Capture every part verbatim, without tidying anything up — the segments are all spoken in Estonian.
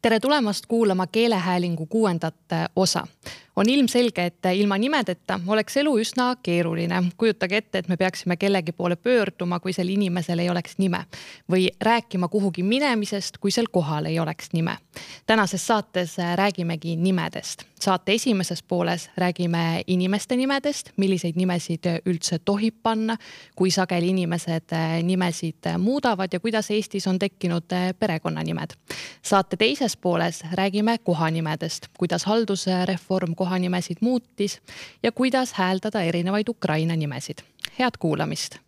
Tere tulemast kuulama keelehäälingu kuuendat osa. On ilmselge, et ilma nimedeta oleks elu üsna keeruline. Kujutage ette, et me peaksime kellegi poole pöörduma, kui sel inimesel ei oleks nime. Või rääkima kuhugi minemisest, kui sel kohal ei oleks nime. Tänases saates räägimegi nimedest. Saate esimeses pooles räägime inimeste nimedest, milliseid nimesid üldse tohib panna, kui sageli inimesed nimesid muudavad ja kuidas Eestis on tekkinud perekonnanimed. Saate teises pooles räägime kohanimedest, kuidas haldusreform kohanimesid muutis ja kuidas hääldada erinevaid Ukraina nimesid. Head kuulamist!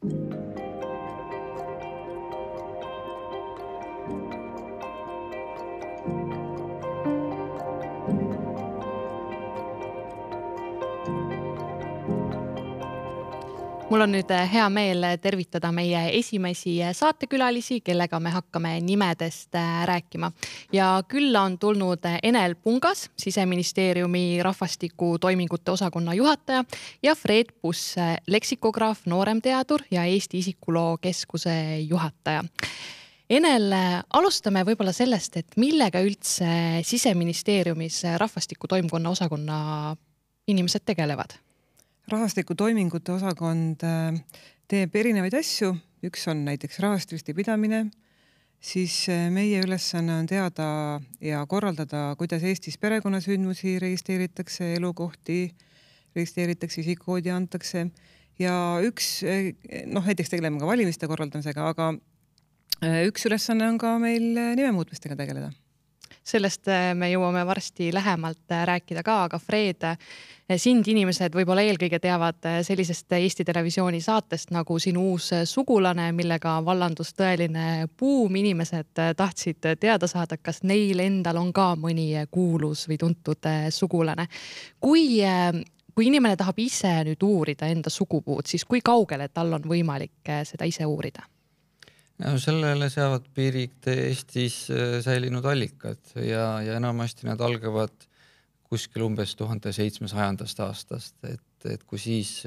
Mul on nüüd hea meel tervitada meie esimesi saatekülalisi, kellega me hakkame nimedest rääkima. Ja külla on tulnud Enel Pungas, Siseministeeriumi rahvastiku toimingute osakonna juhataja ja Fred Puss, leksikograaf, nooremteadur ja Eesti isikuloo keskuse juhataja. Enel, alustame võib-olla sellest, et millega üldse Siseministeeriumis rahvastiku toimkonna osakonna inimesed tegelevad? Rahvastiku toimingute osakond teeb erinevaid asju. Üks on näiteks rahvastikusti pidamine, siis meie ülesanne on teada ja korraldada, kuidas Eestis perekonnasündmusi registreeritakse, elukohti registreeritakse, isikukoodi antakse. Ja üks, noh näiteks tegeleme ka valimiste korraldamisega, aga üks ülesanne on ka meil nimemuutmistega tegeleda. Sellest me jõuame varsti lähemalt rääkida ka, aga Fred, sind inimesed võib-olla eelkõige teavad sellisest Eesti televisiooni saatest nagu Sinu uus sugulane, millega vallandus tõeline buum. Inimesed tahtsid teada saada, kas neil endal on ka mõni kuulus või tuntud sugulane. Kui, kui inimene tahab ise nüüd uurida enda sugupuud, siis kui kaugele tal on võimalik seda ise uurida? No, sellele seavad piirid Eestis säilinud allikad ja, ja enamasti nad algavad kuskil umbes tuhande seitsmesajandast aastast, et, et kui siis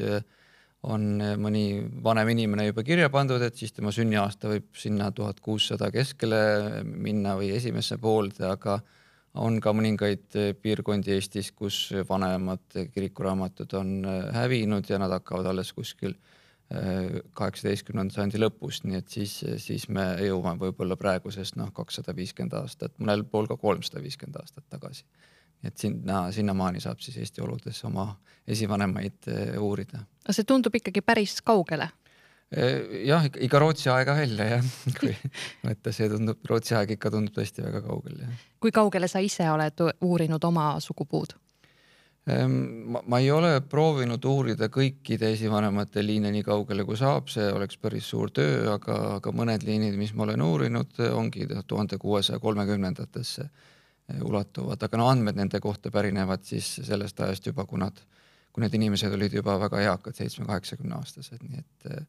on mõni vanem inimene juba kirja pandud, et siis tema sünniaasta võib sinna tuhat kuussada keskele minna või esimesse poolde, aga on ka mõningaid piirkondi Eestis, kus vanemad kirikuraamatud on hävinud ja nad hakkavad alles kuskil kaheksateistkümnenda sajandi lõpust, nii et siis, siis me jõuame võib-olla praegusest noh, kakssada viiskümmend aastat, mõnel pool ka kolmsada viiskümmend aastat tagasi. Et sinna, sinna maani saab siis Eesti oludes oma esivanemaid uurida. See tundub ikkagi päris kaugele? Jah, ikka Rootsi aega välja, jah. Kui mõtta, see tundub, Rootsi aeg ikka tundub tõesti väga kaugele. Jah. Kui kaugele sa ise oled uurinud oma sugupuud? Ma, ma ei ole proovinud uurida kõikide esivanemate liine nii kaugele kui saab, see oleks päris suur töö, aga, aga mõned liinid, mis ma olen uurinud, ongi tuhande kuuesaja kolmekümnendatesse ulatuvad, aga no andmed nende kohta pärinevad siis sellest ajast juba, kui, nad, kui need inimesed olid juba väga eakad, seitsme-kaheksakümne aastased, nii et,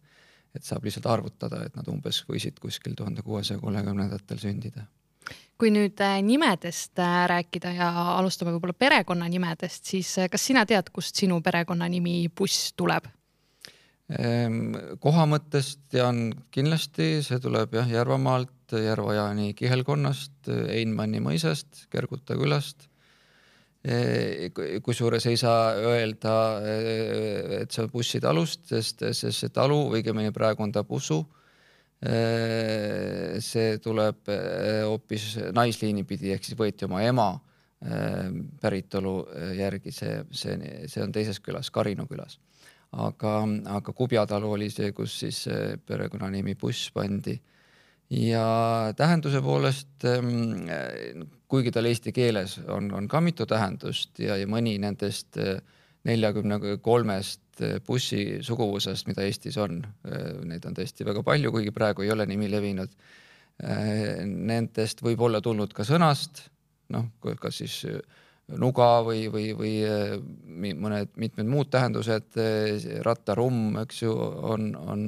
et saab lihtsalt arvutada, et nad umbes võisid kuskil tuhande kuuesaja kolmekümnendatel sündida. Kui nüüd nimedest rääkida ja alustame võib-olla perekonna nimedest, siis kas sina tead, kust sinu perekonna nimi Puss tuleb? Koha mõttest tean kindlasti, see tuleb jah, Järvamaalt, Järvajaani kihelkonnast, Einmanni mõisast, Kerguta külast. Kui suures ei saa öelda, et see on Pussi talust, sest, sest see talu, õigemini praegu on ta Pusu. See tuleb hoopis naisliini pidi, ehk siis võeti oma ema päritolu järgi, see, see, see on teises külas, Karinu külas. Aga, aga Kubjatalu oli see, kus siis perekonnanimi Puss pandi. Ja tähenduse poolest, kuigi tal eesti keeles on, on ka mitu tähendust ja, ja mõni nendest neljakümne kolmest Pussi suguvusest, mida Eestis on. Neid on tõesti väga palju, kuigi praegu ei ole nimi levinud. Nendest võib olla tulnud ka sõnast, noh, kas siis nuga või, või, või mõned mitmed muud tähendused, rattarumm, eks ju, on, on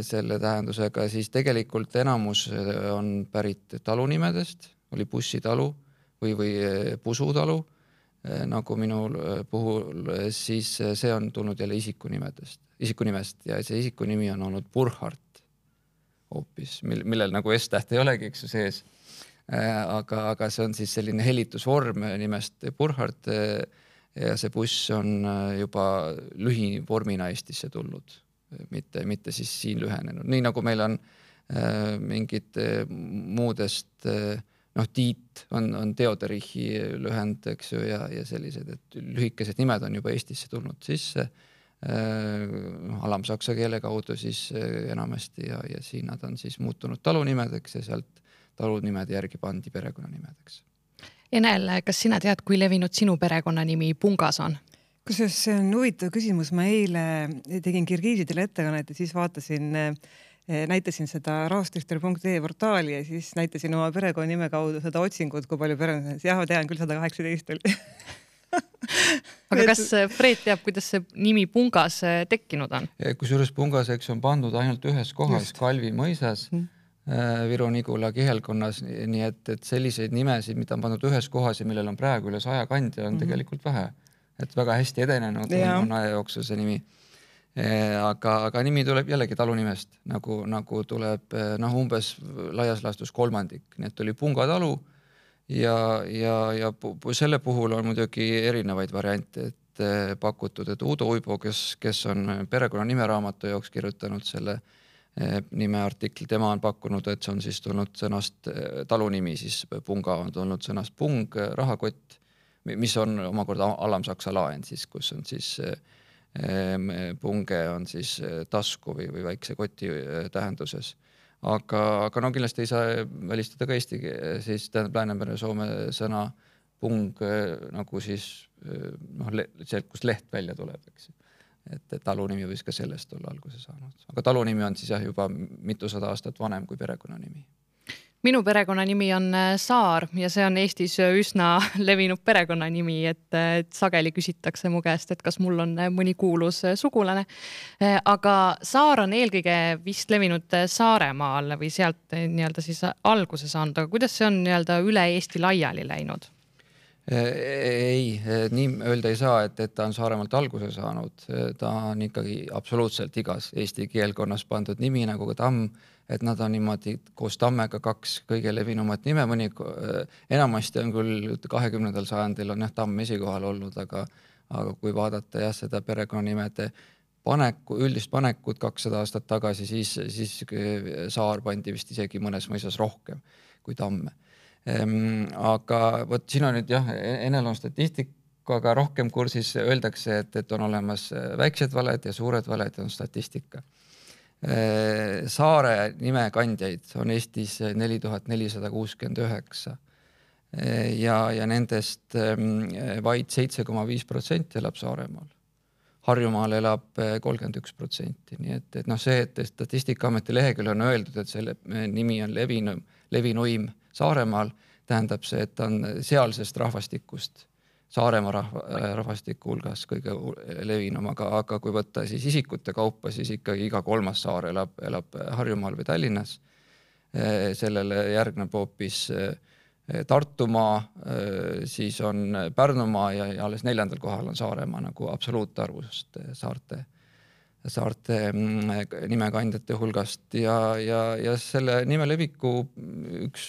selle tähendusega, siis tegelikult enamus on pärit talunimedest, oli Pussi talu või, või Pusu talu, nagu minul puhul, siis see on tulnud jälle isikunimedest, isikunimest ja see isikunimi on olnud Burhart hoopis, millel nagu S-täht ei olegi, eks ju sees. aga, aga see on siis selline helitusvorm nimest Burhard ja see buss on juba lühivormina Eestisse tulnud, mitte, mitte siis siin lühenenud. Nii nagu meil on mingid muudest, noh, Tiit on, on Teoderichi lühend, eks ju, ja, ja sellised, et lühikesed nimed on juba Eestisse tulnud sisse alamsaksa keele kaudu siis enamasti ja, ja siin nad on siis muutunud talunimedeks ja sealt talunimede järgi pandi perekonnanimedeks. Enel, kas sina tead, kui levinud sinu perekonnanimi Pungas on? Kusjuures see on huvitav küsimus. Ma eile tegin kirgiisidele ettekannet ja siis vaatasin, näitasin seda rahvastichter punkt ee portaali ja siis näitasin oma perekonnanime kaudu seda otsingut, kui palju perekonnanimedest. Jah, ma tean küll sada kaheksateist oli. Aga kas Fred teab, kuidas see nimi Pungas tekkinud on? Kusjuures Pungas, eks on pandud ainult ühes kohas, Just. Kalvi mõisas, mm. Viru-Nigula kihelkonnas, nii et, et selliseid nimesid, mida on pandud ühes kohas ja millel on praegu üle saja kandja, on mm. tegelikult vähe. Et väga hästi edenenud on, on aja jooksul see nimi. Aga, aga nimi tuleb jällegi talunimest, nagu, nagu tuleb noh, umbes laias laastus kolmandik. Nii et oli Punga talu ja, ja, ja selle puhul on muidugi erinevaid variante, et pakutud, et Uudo Uibo, kes, kes on perekonna nimeraamatu jaoks kirjutanud selle nimeartikli, tema on pakkunud, et see on siis tulnud sõnast talunimi, siis Punga on tulnud sõnast pung, rahakott, mis on omakorda alamsaksa laen siis, kus on siis punge on siis tasku või, või väikse koti tähenduses. Aga, aga no kindlasti ei saa välistada ka Eesti, siis tähendab Läänemere Soome sõna pung nagu siis noh, sealt, kus leht välja tuleb, eks. Et talunimi võis ka sellest olla alguse saanud. Aga talunimi on siis jah, juba mitusada aastat vanem kui perekonnanimi. Minu perekonnanimi on Saar ja see on Eestis üsna levinud perekonnanimi, et, et sageli küsitakse mu käest, et kas mul on mõni kuulus sugulane. Aga Saar on eelkõige vist levinud Saaremaal või sealt nii-öelda siis alguse saanud, aga kuidas see on nii-öelda üle Eesti laiali läinud? Ei, nii öelda ei saa, et, et ta on Saaremaalt alguse saanud. Ta on ikkagi absoluutselt igas Eesti keelkonnas pandud nimi nagu ka Tamm, et nad on niimoodi koos Tammega kaks kõige levinumat nime. Mõni, enamasti on küll kahekümnendal sajandil on jah, Tamm esikohal olnud, aga, aga kui vaadata jah, seda perekonnanimede paneku, üldist panekut kakssada aastat tagasi, siis, siis Saar pandi vist isegi mõnes mõisas rohkem kui Tamme. Aga võt, siin on nüüd jah, Enel on statistikaga rohkem kursis, öeldakse, et, et on olemas väiksed valed ja suured valed ja on statistika. Saare nimekandjaid on Eestis neli tuhat nelisada kuuskümmend üheksa ja, ja nendest vaid seitse koma viis protsenti elab Saaremaal. Harjumaal elab kolmkümmend üks protsenti. Nii et, et noh, see, et Statistikaameti leheküljel on öeldud, et selle nimi on levinu, levinuim Saaremaal, tähendab see, et on sealsest rahvastikust Saaremaa rahva, rahvastiku hulgas kõige levinum, aga, aga kui võtta siis isikute kaupa, siis ikkagi iga kolmas saar elab, elab Harjumaal või Tallinnas. Sellele järgneb hoopis Tartumaa, siis on Pärnumaa ja, ja alles neljandal kohal on Saaremaa nagu absoluutarvust saarte, saarte nimekandjate hulgast ja, ja, ja selle nime leviku üks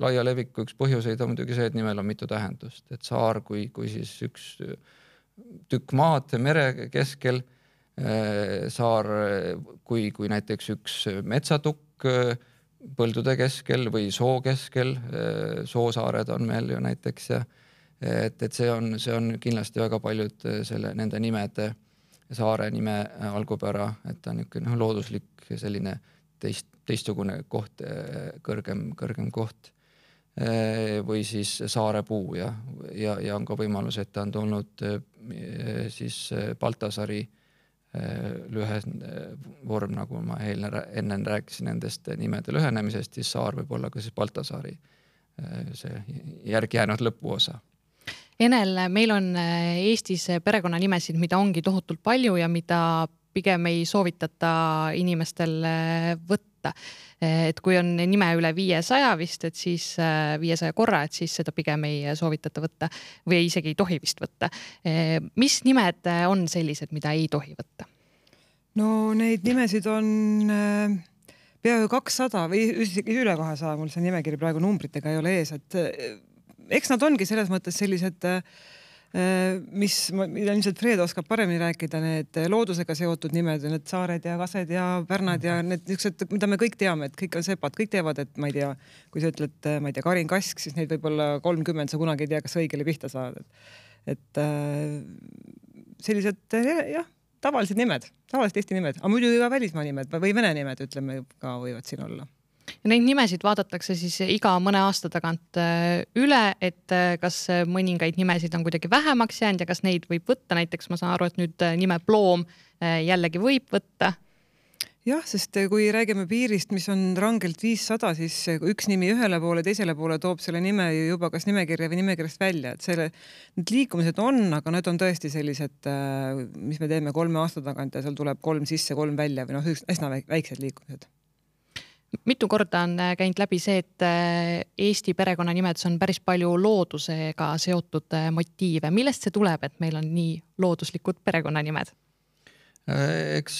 laia leviku üks põhjuseid on muidugi see, et nimel on mitu tähendust, et saar kui, kui siis üks tükk maad mere keskel, saar kui, kui näiteks üks metsatukk põldude keskel või soo keskel, soosaared on meil ju näiteks ja et, et see on, see on kindlasti väga paljud selle, nende nimede saare nime algupära, et ta on niisugune looduslik selline teist, teistsugune koht, kõrgem, kõrgem koht või siis saarepuu ja, ja, ja on ka võimalus, et ta on tulnud siis Baltasari lühe vorm, nagu ma enne rääkisin nendest nimede lühenemisest, siis saar võib olla ka siis Baltasari see järgi jäänud lõpuosa. Enel, meil on Eestis perekonnanimesid, mida ongi tohutult palju ja mida pigem ei soovitata inimestel võtta. Et kui on nime üle viiesaja vist, et siis viiesaja korra, et siis seda pigem ei soovitata võtta või isegi ei tohi vist võtta. Mis nimed on sellised, mida ei tohi võtta? No neid nimesid on peaaegu kakssada või isegi üle kahesaja, mul see nimekiri praegu numbritega ei ole ees, et eks nad ongi selles mõttes sellised, mis, mida ilmselt Fred oskab paremini rääkida, need loodusega seotud nimed, need saared ja kased ja pärnad ja need niisugused, mida me kõik teame, et kõik on sepad, kõik teavad, et ma ei tea, kui sa ütled, ma ei tea, Karin Kask, siis neid võib olla kolmkümmend, sa kunagi ei tea, kas õigele pihta saad. Et sellised, jah, tavalised nimed, tavalised Eesti nimed, aga muidu ka välismaa nimed või vene nimed, ütleme, ka võivad siin olla. Ja neid nimesid vaadatakse siis iga mõne aasta tagant üle, et kas mõningaid nimesid on kuidagi vähemaks jäänud ja kas neid võib võtta, näiteks ma saan aru, et nüüd nime Ploom jällegi võib võtta. Jah, sest kui räägime piirist, mis on rangelt viissada, siis üks nimi ühele poole, teisele poole toob selle nime juba kas nimekirja või nimekirjast välja, et selle, need liikumised on, aga need on tõesti sellised, mis me teeme kolme aasta tagant ja seal tuleb kolm sisse, kolm välja või noh, üsna väiksed liikumised. Mitu korda on käinud läbi see, et Eesti perekonnanimedes on päris palju loodusega seotud motiive. Millest see tuleb, et meil on nii looduslikud perekonnanimed? Eks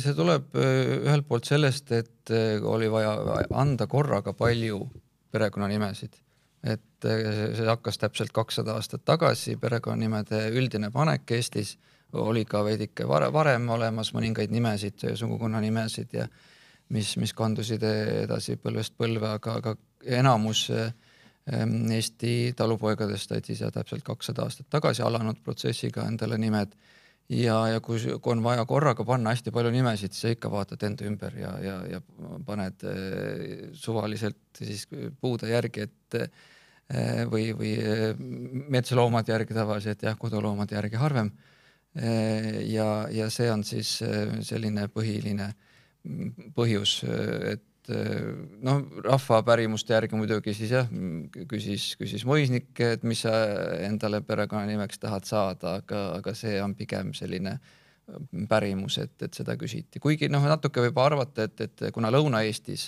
see tuleb ühelt poolt sellest, et oli vaja anda korraga palju perekonnanimesid. Et see hakkas täpselt kakssada aastat tagasi, perekonnanimede üldine panek Eestis oli ka veidike varem olemas mõningaid nimesid, sugukonna nimesid ja mis, mis kandusid edasi põlvest põlve, aga, aga enamus Eesti talupoegadest said siis täpselt kakssada aastat tagasi alanud protsessiga endale nimed. Ja, ja kui on vaja korraga panna hästi palju nimesid, siis ikka vaatad enda ümber ja, ja, ja paned suvaliselt siis puude järgi, et või, või metsaloomad järgi tavaliselt, jah, koduloomad järgi harvem. Ja, ja see on siis selline põhiline põhjus, et noh, rahva pärimuste järgi muidugi siis jah, küsis, küsis Moisnik, et mis sa endale perekonnanimeks tahad saada, aga, aga see on pigem selline pärimus, et, et seda küsiti. Kuigi noh, natuke võib arvata, et, et kuna Lõuna-Eestis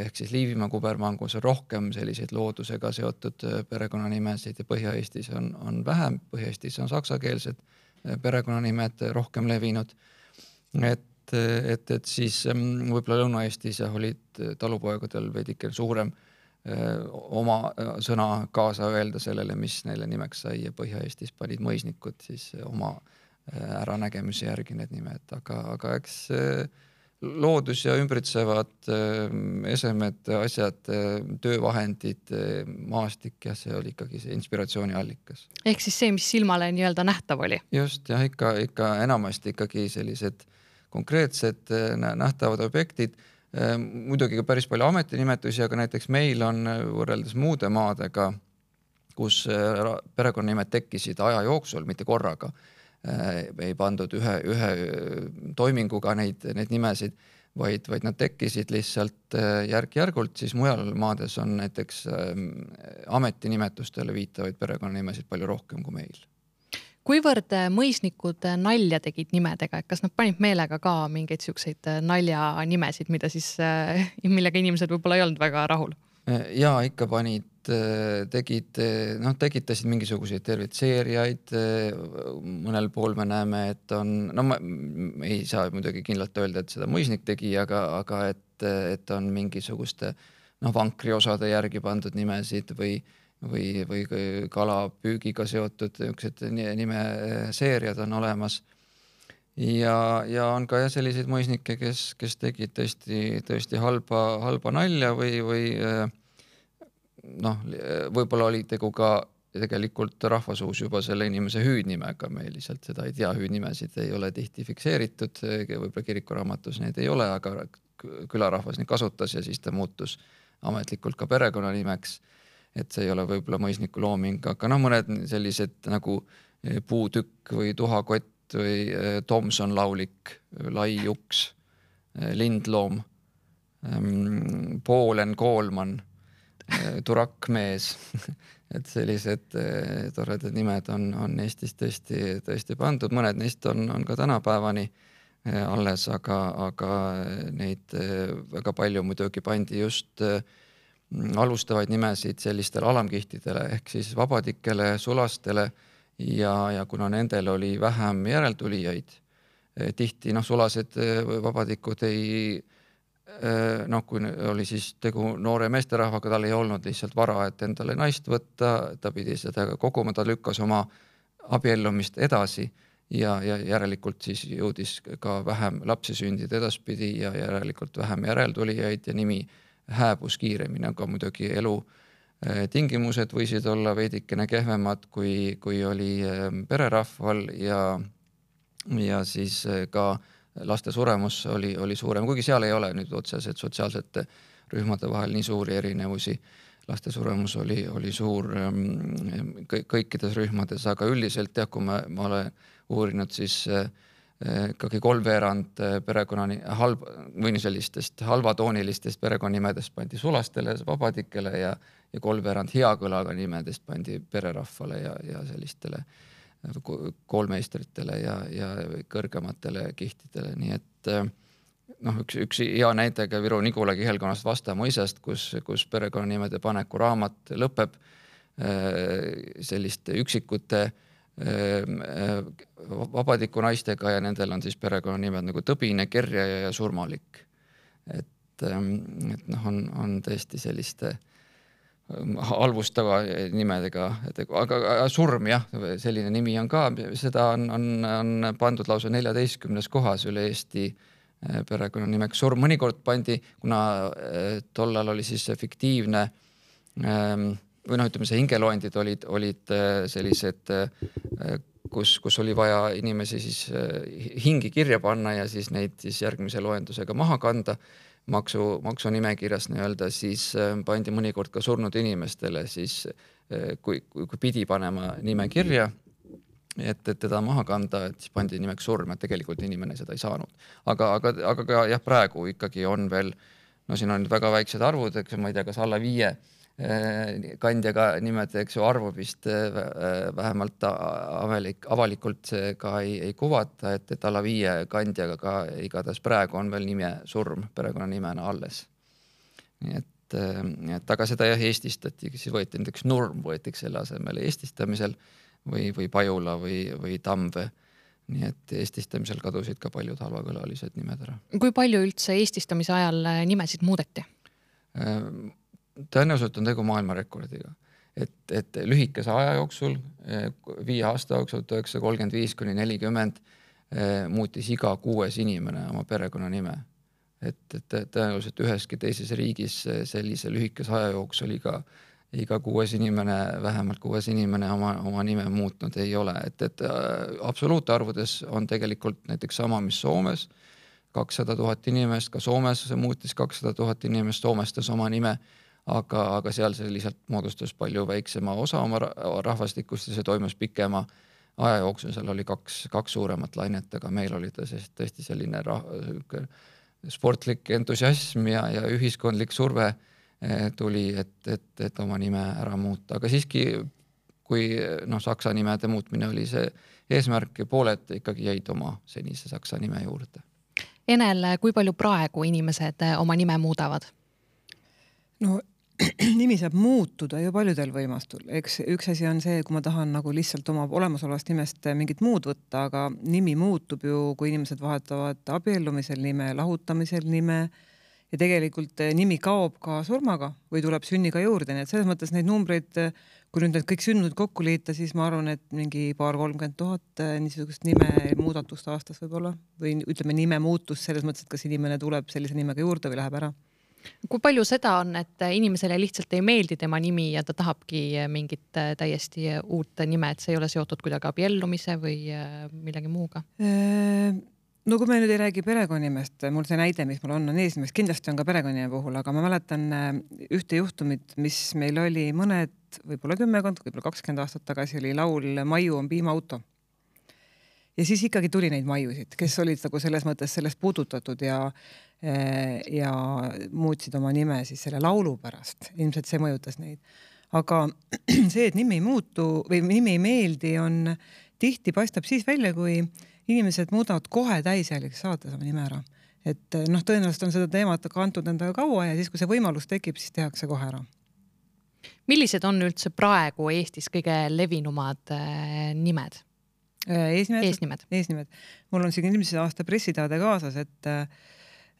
ehk siis Liivimaa kubermangus on rohkem selliseid loodusega seotud perekonnanimesid ja Põhja-Eestis on, on vähem, Põhja-Eestis on saksakeelsed perekonnanimed rohkem levinud, et et, et siis võib-olla Lõuna-Eestis olid talupoegadel veidike suurem oma sõna kaasa öelda sellele, mis neile nimeks sai ja Põhja-Eestis panid mõisnikud siis oma äranägemise järgi need nimed, aga, aga eks loodus ja ümbritsevad esemed, asjad, töövahendid, maastik ja see oli ikkagi see inspiratsiooni allikas. Ehk siis see, mis silmale nii-öelda nähtav oli? Just, jah, ikka, ikka enamasti ikkagi sellised konkreetsed nähtavad objektid, muidugi ka päris palju ametinimetusi, aga näiteks meil on võrreldes muude maadega, kus perekonnanimed tekkisid aja jooksul, mitte korraga, ei pandud ühe, ühe toiminguga neid, neid nimesid, vaid, vaid nad tekkisid lihtsalt järk-järgult, siis mujal maades on näiteks ametinimetustele viitavaid perekonnanimesid palju rohkem kui meil. Kuivõrd mõisnikud nalja tegid nimedega, et kas nad panid meelega ka mingeid siukseid nalja nimesid, mida siis, millega inimesed võib-olla ei olnud väga rahul? Ja ikka panid, tegid, noh, tekitasid mingisuguseid tervitseerijaid, mõnel pool me näeme, et on, no ma ei saa muidugi kindlalt öelda, et seda mõisnik tegi, aga, aga et, et on mingisuguste noh, vankriosade järgi pandud nimesid või või, või kalapüügiga seotud nimeseeriad on olemas. Ja, ja on ka selliseid mõisnikke, kes, kes tegid tõesti, tõesti halba, halba nalja või, või noh, võib-olla oli tegu ka tegelikult rahvasuus juba selle inimese hüüdnimega, me lihtsalt seda ei tea, hüüdnimesid ei ole tihti fikseeritud, võib-olla kirikuraamatus neid ei ole, aga külarahvas neid kasutas ja siis ta muutus ametlikult ka perekonnanimeks. Et see ei ole võib-olla mõisniku looming, aga noh, mõned sellised nagu puutükk või tuhakott või Tomson laulik, lai juks, lindloom, Poolen koolman, turakmees, et sellised toredad nimed on, on Eestis tõesti, tõesti pandud, mõned neist on, on ka tänapäevani alles, aga, aga neid väga palju muidugi pandi just alustavaid nimesid sellistele alamkihtidele ehk siis vabadikele, sulastele ja, ja kuna nendel oli vähem järeltulijaid, tihti noh, sulased vabadikud ei, noh, kui oli siis tegu noore meesterahvaga, tal ei olnud lihtsalt vara, et endale naist võtta, ta pidi seda koguma, ta lükkas oma abiellumist edasi ja, ja järelikult siis jõudis ka vähem lapsi sündida edaspidi ja järelikult vähem järeltulijaid ja nimi hääbus kiiremini, aga muidugi elu tingimused võisid olla veidikene kehvemad, kui, kui oli pererahval ja, ja siis ka laste suremus oli, oli suurem, kuigi seal ei ole nüüd otseselt sotsiaalsete rühmade vahel nii suuri erinevusi. Laste suremus oli, oli suur kõikides rühmades, aga üldiselt jah, kui ma, ma olen uurinud, siis ikkagi kolmveerand perekonnani halb, või sellistest halvatoonilistest perekonnimedest pandi sulastele, vabadikele ja, ja kolmveerand heakõlaga nimedest pandi pererahvale ja, ja sellistele koolmeistritele ja, ja kõrgematele kihtidele. Nii et noh, üks, üks hea näitega Viru Nigula kihelkonnast Vastamõisast, kus, kus perekonnanimede paneku raamat lõpeb selliste üksikute vabadiku naistega ja nendel on siis perekonnanimed nagu Tõbine, Kerja ja Surmalik. Et, et noh, on, on tõesti selliste halvustava nimedega, et, aga surm jah, selline nimi on ka, seda on, on, on pandud lausa neljateistkümnes kohas üle Eesti perekonnanimeks surm. Mõnikord pandi, kuna tollal oli siis fiktiivne või noh, ütleme see hingeloendid olid, olid sellised, kus, kus oli vaja inimesi siis hingi kirja panna ja siis neid siis järgmise loendusega maha kanda maksu, maksunimekirjas nii-öelda, siis pandi mõnikord ka surnud inimestele siis, kui, kui, kui pidi panema nime kirja, et, et teda maha kanda, et siis pandi nimeks surm, et tegelikult inimene seda ei saanud. Aga, aga, aga ka jah, praegu ikkagi on veel, no siin on väga väiksed arvud, eks ma ei tea, kas alla viie kandjaga nimed, eks ju, arvu vist vähemalt avalik, avalikult ka ei, ei kuvata, et, et alla viie kandjaga ka igatahes praegu on veel nime surm perekonnanimena alles. Nii et, et aga seda jah eestistati, siis võeti näiteks Nurm, võetiks selle asemel eestistamisel või, või Pajula või, või Tamve. Nii et eestistamisel kadusid ka paljud halvakõlalised nimed ära. Kui palju üldse eestistamise ajal nimesid muudeti? Tõenäoliselt on tegu maailmarekordiga, et, et lühikese aja jooksul, viie aasta jooksul, tuhat üheksasada kolmkümmend viis kuni nelikümmend muutis iga kuues inimene oma perekonna nime. Et, et tõenäoliselt üheski teises riigis sellise lühikese aja jooksul iga, iga kuues inimene, vähemalt kuues inimene oma, oma nime muutnud ei ole. Et, et absoluutarvudes on tegelikult näiteks sama, mis Soomes, kakssada tuhat inimest, ka Soomes muutis kakssada tuhat inimest, soomestas oma nime, aga, aga seal see lihtsalt moodustas palju väiksema osa oma rahvastikust ja see toimus pikema aja jooksul, seal oli kaks, kaks suuremat lainet, aga meil oli ta tõesti selline rah, sportlik entusiasm ja, ja ühiskondlik surve tuli, et, et, et oma nime ära muuta, aga siiski kui noh, saksa nimede muutmine oli see eesmärk ja pooled ikkagi jäid oma senise saksa nime juurde. Enel, kui palju praegu inimesed oma nime muudavad? No nimi saab muutuda ju paljudel võimastul. Eks üks asi on see, kui ma tahan nagu lihtsalt oma olemasolevast nimest mingit muud võtta, aga nimi muutub ju, kui inimesed vahetavad abiellumisel nime, lahutamisel nime ja tegelikult nimi kaob ka surmaga või tuleb sünniga juurde. Nii et selles mõttes neid numbreid, kui nüüd need kõik sünnud kokku liita, siis ma arvan, et mingi paar kolmkümmend tuhat niisugust nime muudatust aastas võib olla või ütleme nime muutus selles mõttes, et kas inimene tuleb sellise nimega juurde või läheb ära. Kui palju seda on, et inimesele lihtsalt ei meeldi tema nimi ja ta tahabki mingit täiesti uut nime, et see ei ole seotud kuidagi abiellumise või millegi muuga? No kui me nüüd ei räägi perekonnimest, mul see näide, mis mul on, on eesnimest, kindlasti on ka perekonnime puhul, aga ma mäletan ühte juhtumit, mis meil oli mõned, võib-olla kümmekond, võib-olla kakskümmend aastat tagasi oli laul Maiu on piimaauto. Ja siis ikkagi tuli neid maiusid, kes olid nagu selles mõttes sellest puudutatud ja, ja muutsid oma nime siis selle laulu pärast. Ilmselt see mõjutas neid. Aga see, et nimi ei muutu või nimi ei meeldi, on tihti paistab siis välja, kui inimesed muudavad kohe täisjäliks saates oma nime ära. Et noh, tõenäoliselt on seda teemat kantud endaga kaua ja siis, kui see võimalus tekib, siis tehakse kohe ära. Millised on üldse praegu Eestis kõige levinumad nimed? Eesnimed, eesnimed. eesnimed. Mul on siin eelmise aasta pressiteade kaasas, et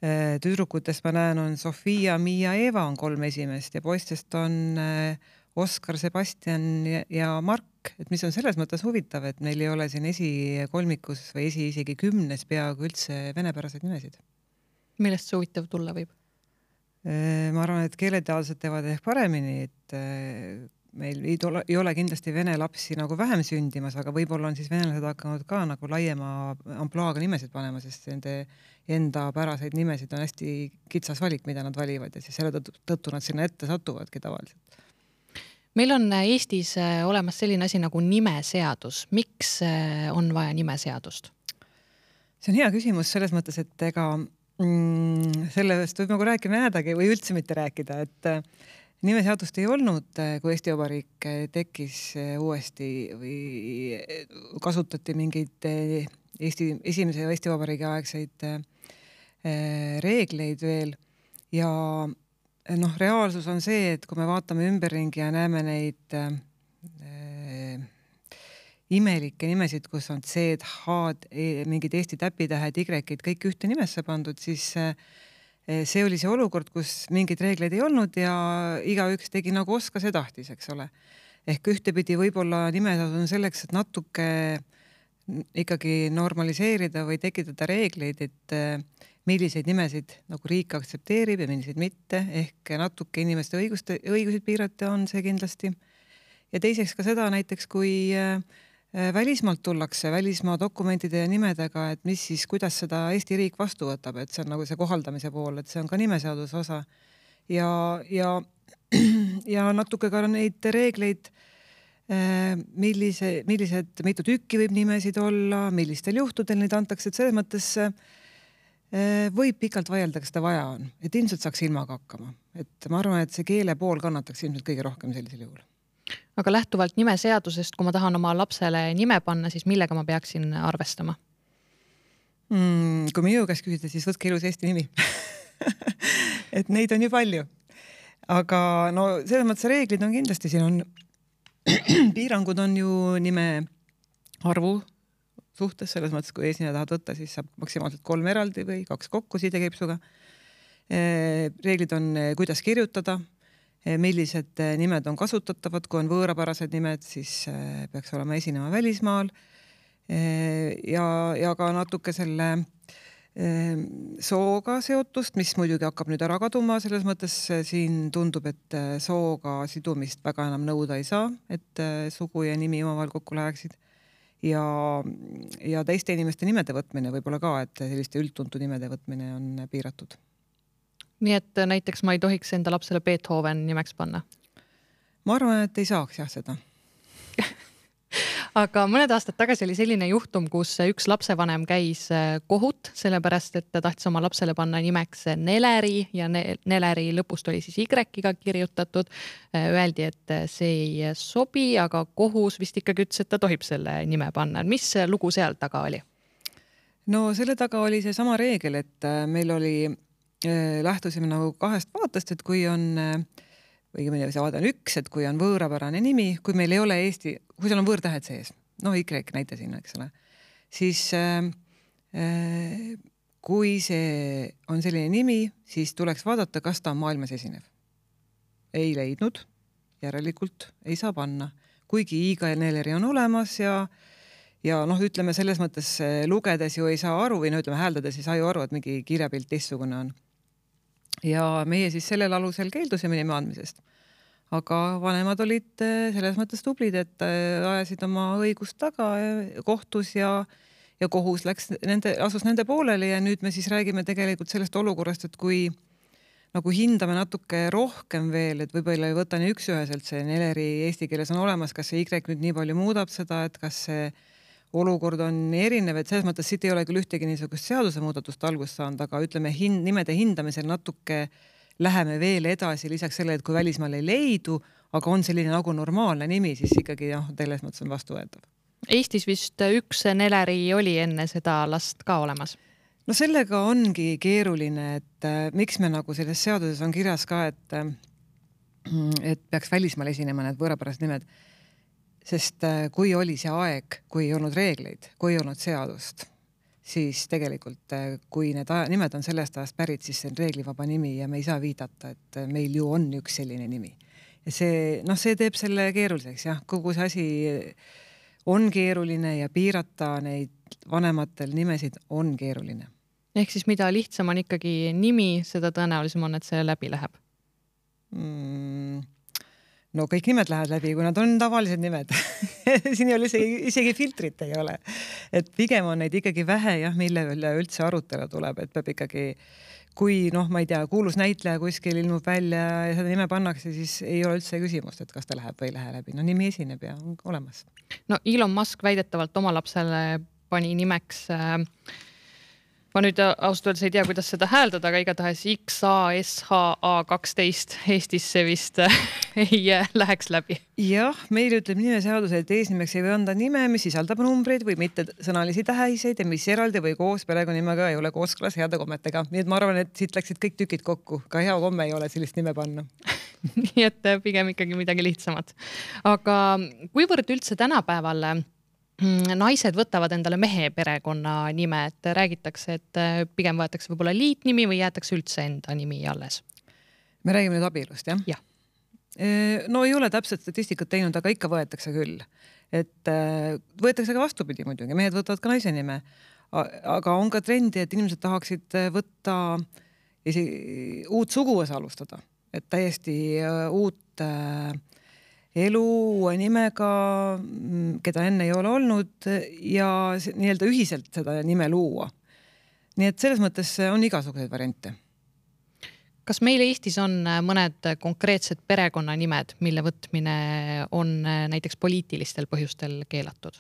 Tüdrukutest ma näen, on Sofia, Miia, Eva on kolm esimest ja poistest on Oskar, Sebastian ja Mark, et mis on selles mõttes huvitav, et meil ei ole siin esikolmikus või esi isegi kümnes peaaegu üldse venepäraseid nimesid. Millest see huvitav tulla võib? Ma arvan, et keeleteadlased teevad ehk paremini, et meil ei ole, ei ole kindlasti vene lapsi nagu vähem sündimas, aga võib-olla on siis venelased hakanud ka nagu laiema ampluaaga nimesid panema, sest nende enda päraseid nimesid on hästi kitsas valik, mida nad valivad ja siis selle tõttu nad sinna ette satuvadki tavaliselt. Meil on Eestis olemas selline asi nagu nimeseadus. Miks on vaja nimeseadust? See on hea küsimus selles mõttes, et ega mm, sellest võib nagu rääkima jäädagi või üldse mitte rääkida, et nimeseadust ei olnud, kui Eesti Vabariik tekkis uuesti või kasutati mingeid Eesti, esimese Eesti Vabariigi aegseid reegleid veel ja noh, reaalsus on see, et kui me vaatame ümberringi ja näeme neid äh, imelikke nimesid, kus on C-d, H-d, mingid Eesti täpitähed, Y-id, kõik ühte nimesse pandud, siis äh, see oli see olukord, kus mingeid reegleid ei olnud ja igaüks tegi nagu oskas ja tahtis, eks ole. Ehk ühtepidi võib-olla nimeseadus on selleks, et natuke ikkagi normaliseerida või tekitada reegleid, et äh, milliseid nimesid nagu riik aktsepteerib ja milliseid mitte, ehk natuke inimeste õiguste, õigusid piirata on see kindlasti. Ja teiseks ka seda näiteks, kui välismaalt tullakse välismaa dokumentide ja nimedega, et mis siis, kuidas seda Eesti riik vastu võtab, et see on nagu see kohaldamise pool, et see on ka nimeseaduse osa. Ja, ja, ja natuke ka neid reegleid, millise, millised mitu tükki võib nimesid olla, millistel juhtudel neid antakse, et selles mõttes võib pikalt vaielda, kas seda vaja on, et ilmselt saaks ilmaga hakkama. Et ma arvan, et see keele pool kannataks ilmselt kõige rohkem sellisel juhul. Aga lähtuvalt nimeseadusest, kui ma tahan oma lapsele nime panna, siis millega ma peaksin arvestama? Mm, kui minu käest küsida, siis võtke ilus Eesti nimi. Et neid on ju palju. Aga no selles mõttes reeglid on kindlasti, siin on piirangud on ju nime arvu suhtes, selles mõttes, kui eesnime tahad võtta, siis saab maksimaalselt kolm eraldi või kaks kokku sidekeipsuga. Reeglid on, kuidas kirjutada, millised nimed on kasutatavad, kui on võõrapärased nimed, siis peaks olema esinema välismaal ja, ja ka natuke selle sooga seotust, mis muidugi hakkab nüüd ära kaduma, selles mõttes siin tundub, et sooga sidumist väga enam nõuda ei saa, et sugu ja nimi omavahel kokku läheksid. Ja, ja teiste inimeste nimede võtmine võib-olla ka, et selliste üldtuntu nimede võtmine on piiratud. Nii et näiteks ma ei tohiks enda lapsele Beethoven nimeks panna? Ma arvan, et ei saaks jah seda. Aga mõned aastad tagasi oli selline juhtum, kus üks lapsevanem käis kohut, sellepärast, et ta tahtis oma lapsele panna nimeks Neleri ja Neleri lõpust oli siis Y-ga kirjutatud. Öeldi, et see ei sobi, aga kohus vist ikkagi ütles, et ta tohib selle nime panna. Mis lugu seal taga oli? No selle taga oli see sama reegel, et meil oli, lähtusime nagu kahest vaatest, et kui on või see vaade on üks, et kui on võõrapärane nimi, kui meil ei ole Eesti, kui seal on võõrtähed sees, no Y näite sinna, eks ole, siis äh, kui see on selline nimi, siis tuleks vaadata, kas ta on maailmas esinev. Ei leidnud, järelikult ei saa panna. Kuigi Iga ja Neleri on olemas ja, ja noh, ütleme selles mõttes lugedes ju ei saa aru või no ütleme hääldades ei saa ju aru, et mingi kirjapilt teistsugune on. Ja meie siis sellel alusel keeldusime nime andmisest. Aga vanemad olid selles mõttes tublid, et ajasid oma õigust taga kohtus ja, ja kohus läks nende, asus nende pooleli ja nüüd me siis räägime tegelikult sellest olukorrast, et kui nagu hindame natuke rohkem veel, et võib-olla ei võta nii üksüheselt see Neleri eesti keeles on olemas, kas see Y nüüd nii palju muudab seda, et kas see olukord on erinev, et selles mõttes siit ei ole küll ühtegi niisugust seaduse muudatust algust saanud, aga ütleme hin, nimede hindamisel natuke läheme veel edasi lisaks selle, et kui välismaal ei leidu, aga on selline nagu normaalne nimi, siis ikkagi jah, selles mõttes on vastuvõetav. Eestis vist üks Neleri oli enne seda last ka olemas. No sellega ongi keeruline, et miks me nagu selles seaduses on kirjas ka, et, et peaks välismaal esinema need võõrapärased nimed. Sest kui oli see aeg, kui ei olnud reegleid, kui ei olnud seadust, siis tegelikult kui need nimed on sellest ajast pärit, siis see on reeglivaba nimi ja me ei saa viidata, et meil ju on üks selline nimi. Ja see, noh, see teeb selle keeruliseks, jah, kogu see asi on keeruline ja piirata neid vanematel nimesid on keeruline. Ehk siis mida lihtsam on ikkagi nimi, seda tõenäolisem on, et see läbi läheb. Mm, no kõik nimed lähevad läbi, kui nad on tavalised nimed. Siin ei ole isegi, isegi filtrit ei ole. Et pigem on neid ikkagi vähe, jah, mille üle üldse arutelu tuleb, et peab ikkagi, kui noh, ma ei tea, kuulus näitleja kuskil ilmub välja ja seda nime pannakse, siis ei ole üldse küsimust, et kas ta läheb või ei lähe läbi. No nimi esineb ja on olemas. No Elon Musk väidetavalt oma lapsele pani nimeks äh, ma nüüd ausalt öeldes ei tea, kuidas seda hääldada, aga igatahes X A S H A kaksteist Eestisse vist ei läheks läbi. Jah, meil ütleb nimeseadus, et eesnimeks ei või anda nime, mis sisaldab numbreid või mitte sõnalisi tähiseid ja mis eraldi või koos perekonnimega ei ole kooskõlas heade kommetega. Nii et ma arvan, et siit läksid kõik tükid kokku. Ka hea komme ei ole sellist nime panna. Nii et pigem ikkagi midagi lihtsamat. Aga kuivõrd üldse tänapäeval naised võtavad endale mehe perekonna nime, et räägitakse, et pigem võetakse võib-olla liitnimi või jäetakse üldse enda nimi alles? Me räägime nüüd abielust, jah? Jah. No ei ole täpselt statistikat teinud, aga ikka võetakse küll. Et võetakse ka vastupidi muidugi, mehed võtavad ka naise nime. Aga on ka trendi, et inimesed tahaksid võtta uut suguvõsa alustada. Et täiesti uut elu uue nimega, keda enne ei ole olnud ja nii-öelda ühiselt seda nime luua. Nii et selles mõttes on igasuguseid variante. Kas meil Eestis on mõned konkreetsed perekonnanimed, mille võtmine on näiteks poliitilistel põhjustel keelatud?